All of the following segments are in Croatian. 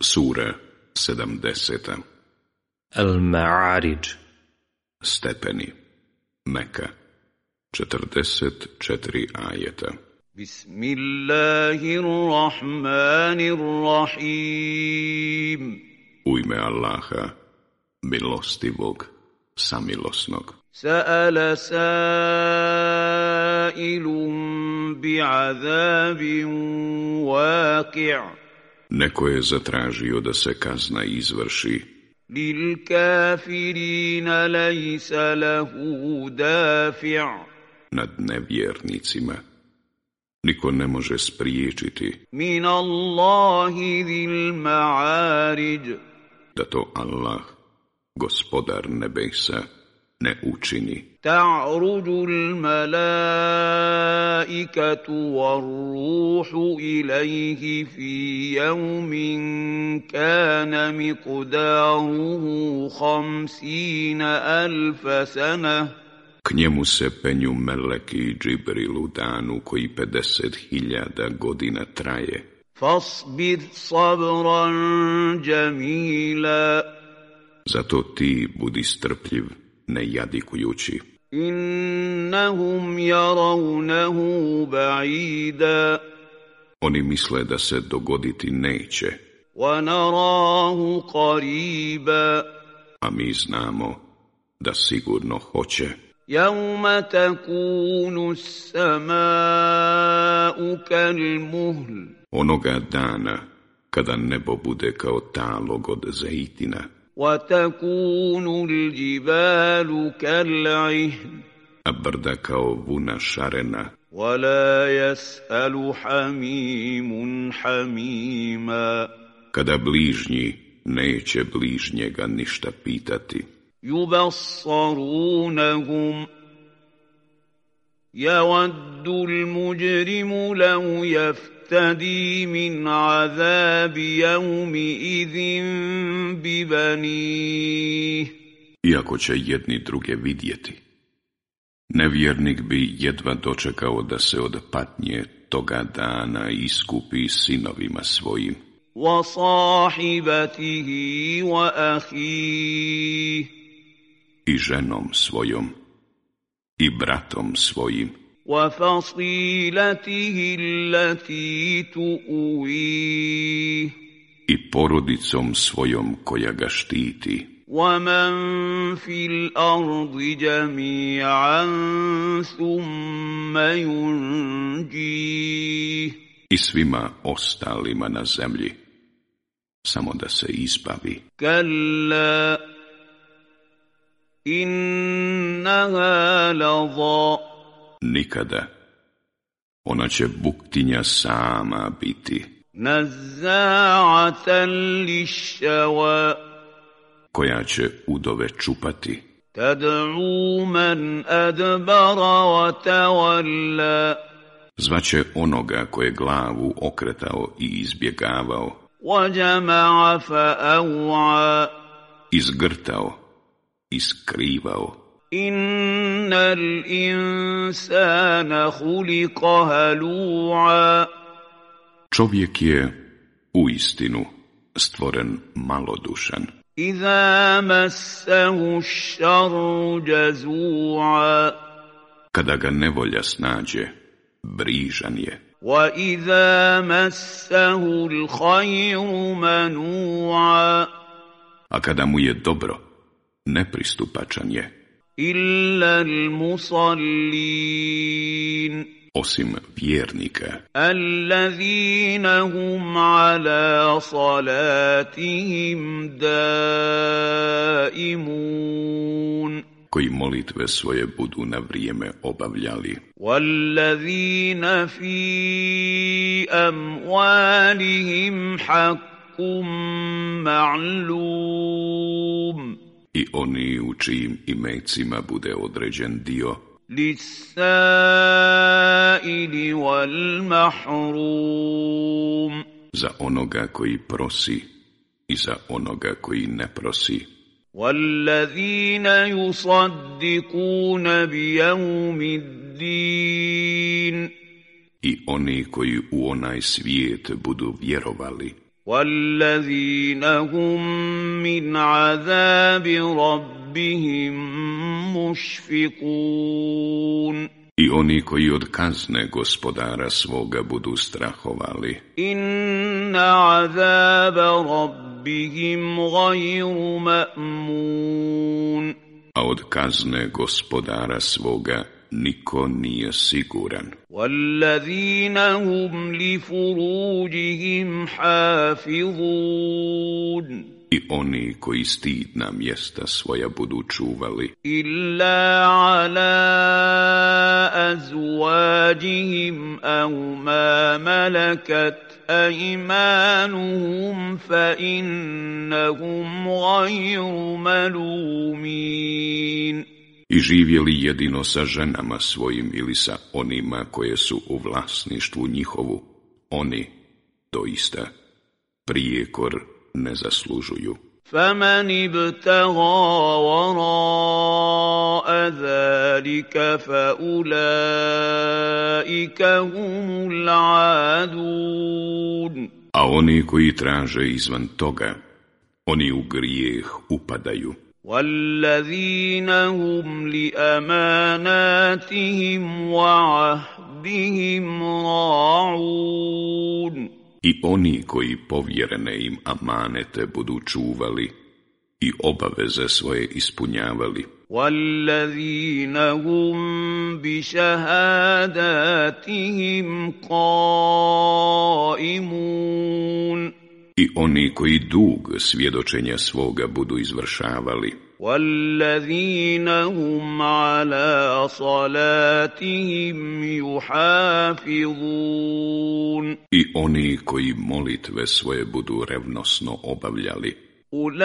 Sura 70. Al-Ma'arij. Stepeni. Meka. 44 ajeta. Bismillahirrahmanirrahim. U ime Allaha, milostivog, samilosnog. Sa'ala sa'ilun bi'azabin waqi'. Neko je zatražio da se kazna izvrši. Lil kafirina laysa lahu dafi'. Nad nevjernicima niko ne može spriječiti. Min Allahi zil ma'arij. Da to Allah, gospodar nebesa, ne učini. Ta'ruju al-malaikatu war-ruhu ilayhi fi yawmin kana miqdaruhu 50,000 sana. K njemu se penju meleki i Džibril u danu koji 50.000 godina traje. Fasbir sabran jamila. Zato ti budi strpljiv, ne jadikujući. Innahum yarawnahu ba'ida. Oni misle da se dogoditi neće, Wa narahu qariba. a mi znamo da sigurno hoće. Yawma takunu as-sama'u kal-muhl. Onoga dana kada nebo bude kao talog od zejtina, وَتَكُونُ الْجِبَالُ كَالْعِهْنِ. a brda kao vuna šarena. وَلَا يَسْأَلُ حَمِيمٌ حَمِيمًا. Kada bližnji neće bližnjega ništa pitati. يُبَصَّرُونَهُمْ. يَوَدُّ الْمُجْرِمُ لَوْ يَفْتَدِي مِنْ عَذَابِ يَوْمِئِذٍ بِبَنِيهِ. Iako će jedni druge vidjeti, nevjernik bi jedva dočekao da se od patnje toga dana iskupi sinovima svojim. وَصَاحِبَتِهِ وَأَخِيهِ. I ženom svojom, i bratom svojim, وَفَصِيلَتِهِ الَّتِي تُؤْوِيهِ. i porodicom svojom koja ga štiti. وَمَنْ فِي الْأَرْضِ جَمِيعًا ثُمَّ يُنْجِيهِ. I svima ostalima na zemlji, samo da se izbavi. كَلَّا إِنَّهَا لَظَىٰ. Nikada. Ona će buktinja sama biti, نَزَّاعَةً لِلشَّوَىٰ. koja će udove čupati. تَدْعُو مَنْ أَدْبَرَ وَتَوَلَّىٰ. Zvaće onoga koje glavu okretao i izbjegavao, وَجَمَعَ فَأَوْعَىٰ. izgrtao i skrivao. إِنَّ الْإِنسَانَ خُلِقَ هَلُوعًا. Čovjek je uistinu stvoren malodušan. إِذَا مَسَّهُ الشَّرُّ جَزُوعًا. Kada ga nevolja snađe, brižan je. وَإِذَا مَسَّهُ الْخَيْرُ مَنُوعًا. A kada mu je dobro, nepristupačan je. إِلَّا الْمُصَلِّينَ. Osim vjernika, الَّذِينَ هُمْ عَلَى صَلَاتِهِمْ دَائِمُونَ. koji molitve svoje budu na vrijeme obavljali. وَالَّذِينَ فِي أَمْوَالِهِمْ حَقٌّ مَعْلُومٌ. I oni u čijim imecima bude određen dio, لِلسَّائِلِ وَالْمَحْرُومِ. za onoga koji prosi i za onoga koji ne prosi. وَالَّذِينَ يُصَدِّقُونَ بِيَوْمِ الدِّينِ. I oni koji u onaj svijet budu vjerovali. وَالَّذِينَ هُمْ مِنْ عَذَابِ رَبِّهِمْ مُشْفِقُونَ I oni koji od kazne gospodara svoga budu strahovali. Inna azaba rabbihim gajru ma'mun. A od kazne gospodara svoga niko nije siguran. Wallazina hum li furujihim hafizun. I oni koji stidna mjesta svoja budu čuvali. Illa ala azwajihim aw ma malakat aymanuhum fa innahum ghayru malumin. I živjeli jedino sa ženama svojim ili sa onima koje su u vlasništvu njihovu, oni doista prijekor ne zaslužuju. فَمَنِ ابْتَغَى وَرَاءَ ذَلِكَ فَأُولَئِكَ هُمُ الْعَادُونَ. A oni koji traže izvan toga, oni u grijeh upadaju. وَالَّذِينَ هُمْ لِأَمَانَاتِهِمْ وَعَهْدِهِمْ رَاعُونَ. I oni koji povjerene im amanete budu čuvali i obaveze svoje ispunjavali. وَالَّذِينَ هُمْ بِشَهَادَاتِهِمْ قَائِمُونَ. I oni koji dug svjedočenja svoga budu izvršavali. وَالَّذِينَ هُمْ عَلَى صَلَاتِهِمْ يُحَافِظُونَ. I oni koji molitve svoje budu revnosno obavljali. أُولَئِكَ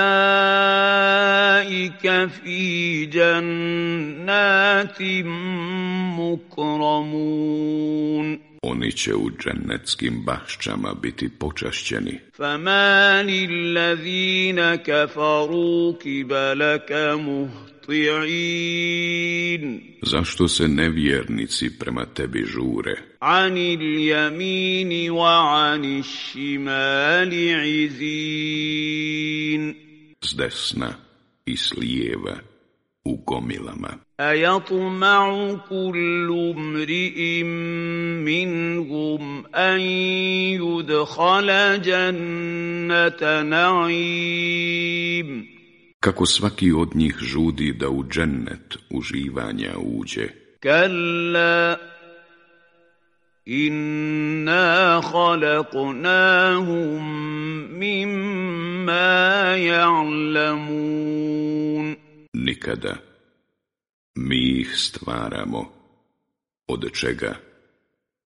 فِي جَنَّاتٍ مُكْرَمُونَ. Oni će u džennetskim bašćama biti počašćeni. فَمَالِ الَّذِينَ كَفَرُوا كِبَلَكَ مُهْطِعِينَ. Zašto se nevjernici prema tebi žure? عَنِ الْيَمِينِ وَعَنِ الشِّمَالِ عِزِينَ. S desna i s lijeva u gomilama. أَيَطْمَعُ كُلُّ امْرِئٍ مِّنْهُمْ أَنْ يُدْخَلَ جَنَّةَ نَعِيمٍ. Kako svaki od njih žudi da u džennet uživanja uđe. كَلَّا إِنَّا خَلَقْنَاهُمْ مِمَّا يَعْلَمُونَ. Nikada. Mi ih stvaramo, od čega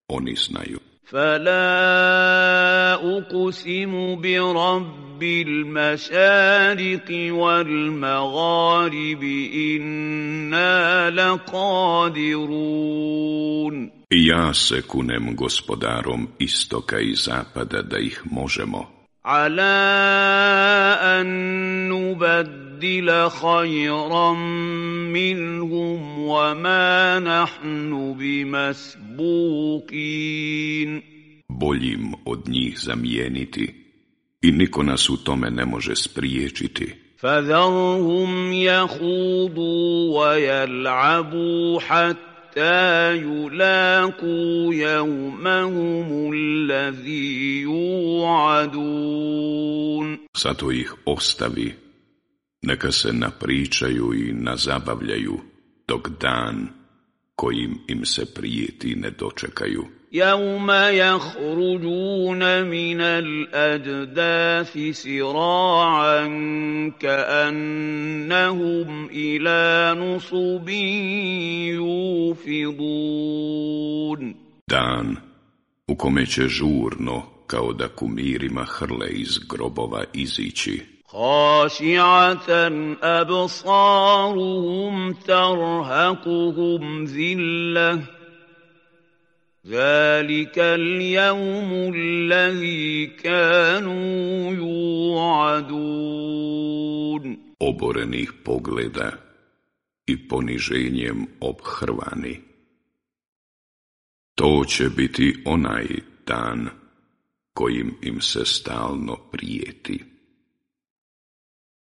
oni znaju. فَلَا أُقْسِمُ بِرَبِّ الْمَشَارِقِ وَالْمَغَارِبِ إِنَّا لَقَادِرُونَ. I ja se kunem gospodarom istoka i zapada da ih možemo. عَلَىٰ أَن نُّبَدِّلَ خَيْرًا مِّنْهُمْ وَمَا نَحْنُ بِمَسْبُوقِينَ. Boljim od njih zamijeniti i niko nas u tome ne može spriječiti. فَذَرْهُمْ يَخُوضُوا وَيَلْعَبُوا حَتَّى يُلَاقُوا يَوْمَهُمُ الَّذِي يُوعَدُونَ. Zato ih ostavi, neka se napričaju i nazabavljaju, dok dan kojim im se prijeti ne dočekaju. يَوْمَ يَخْرُجُونَ مِنَ الْأَجْدَاثِ سِرَاعًا كَأَنَّهُمْ إِلَى نُصُبٍ يُوفِضُونَ. Dan u kome će žurno, kao da kumirima hrle iz grobova izići. خَاشِعَةً أَبْصَارُهُمْ تَرْهَقُهُمْ ذِلَّةٌ ذَلِكَ الْيَوْمُ الَّذِي كَانُوا يُوعَدُونَ. Oborenih pogleda i poniženjem obhrvani. To će biti onaj dan kojim im se stalno prijeti.